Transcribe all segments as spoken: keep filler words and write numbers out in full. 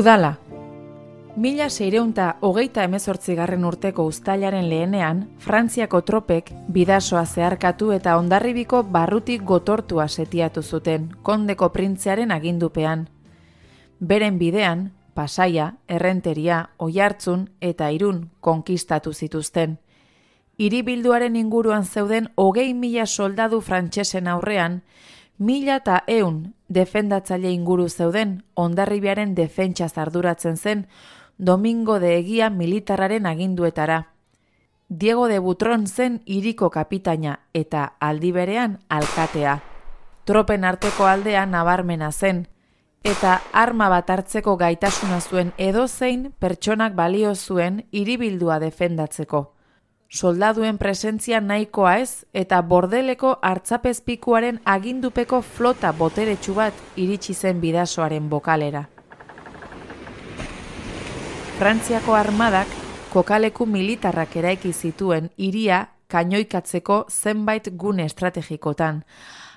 Udala. Mila seireunta hogeita hemezortzigarren urteko uztailaren lehenean, Frantziako tropek bidasoa zeharkatu eta Hondarribiko barrutik gotortua setiatu zuten, kondeko printzearen agindupean. Beren bidean, Pasaia, Errenteria, Oiartzun eta Irun konkistatu zituzten. Hiribilduaren inguruan zeuden hogei mila soldadu frantsesen aurrean, mila eta eun defendatzaile inguru zeuden Hondarribiaren defentsaz arduratzen zen Domingo de Egia militarraren aginduetara. Diego de Butron zen hiriko kapitaina eta aldi berean alkatea. Tropen arteko aldea nabarmena zen, eta arma bat hartzeko gaitasuna zuen edozein pertsonak balio zuen hiribildua defendatzeko. Soldaduen presentzia nahikoa ez eta bordeleko hartzapezpikuaren agindupeko flota boteretsu bat iritsi zen bidasoaren bokalera. Frantziako armadak kokaleku militarrak eraiki zituen hiria kainoikatzeko zenbait gune estrategikotan,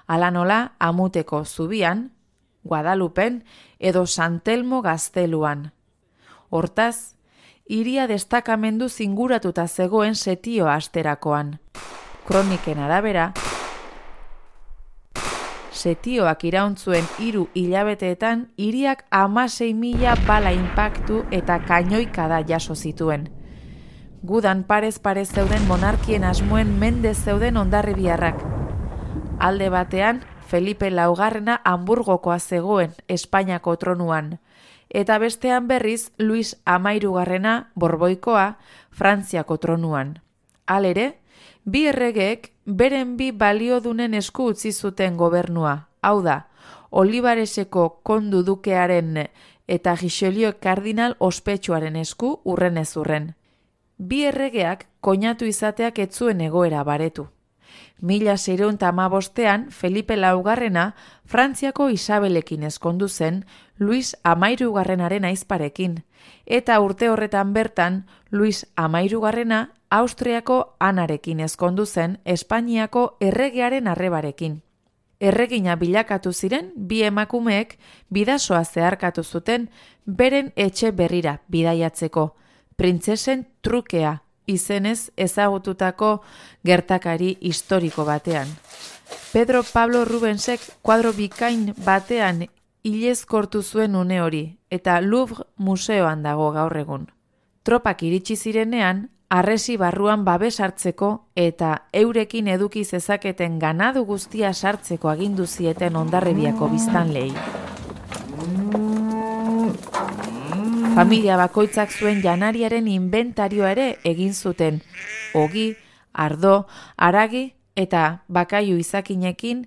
hala nola Amuteko zubian, Guadalupen edo San Telmo gazteluan. Hortaz, hiria destakamendu zinguratuta zegoen setio asterakoan. Kroniken arabera, setioak irauntzuen hiru hilabeteetan hiriak hamasei mila bala inpaktu eta kainoikada jaso zituen. Gudan parez parez zeuden monarkien asmoen mende zeuden hondarribiarrak. Alde batean, Felipe laugarrena Hamburgokoa zegoen Espainiako tronuan, eta bestean berriz Luis hamairugarrena Borboikoa Frantziako tronuan. Halere, bi erregeek beren bi baliodunen esku utzi zuten gobernua, hau da, Olivareseko kondu dukearen eta Richelieu kardinal ospetsuaren esku urrenez urren. Bi erregeak koinatu izateak ez zuen egoera baretu. Mila seiehun eta hamabostean Felipe laugarrena Frantziako Isabelekin ezkondu zen Luis hamairugarrenaren ahizparekin, eta urte horretan bertan Luis hamairugarrena Austriako Anarekin ezkondu zen Espainiako erregearen arrebarekin. Erregina bilakatu ziren bi emakumeek bidasoa zeharkatu zuten beren etxe berrira bidaiatzeko, printzesen trukea izenez ezagututako gertakari historiko batean. Pedro Pablo Rubensek kuadro bikain batean ilezkortu zuen une hori, eta Louvre museoan dago gaur egun. Tropak iritsi zirenean, harresi barruan babes hartzeko eta eurekin eduki zezaketen ganadu guztia sartzeko agindu zieten Hondarribiako biztanleei. Familia bakoitzak zuen janariaren inventarioa ere egin zuten, ogi, ardo, haragi eta bakaiu izakinekin,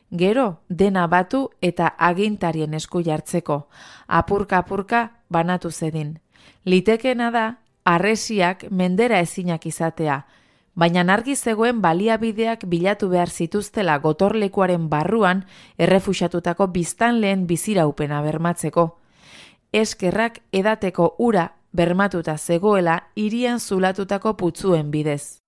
gero dena batu eta agintarien esku jartzeko, apurka-apurka banatu zedin. Litekena da, harresiak mendera ezinak izatea, baina argi zegoen baliabideak bilatu behar zituztela gotorlekuaren barruan errefuxatutako biztanleen biziraupena bermatzeko. Eskerrak edateko ura bermatuta zegoela hirian zulatutako putzuen bidez.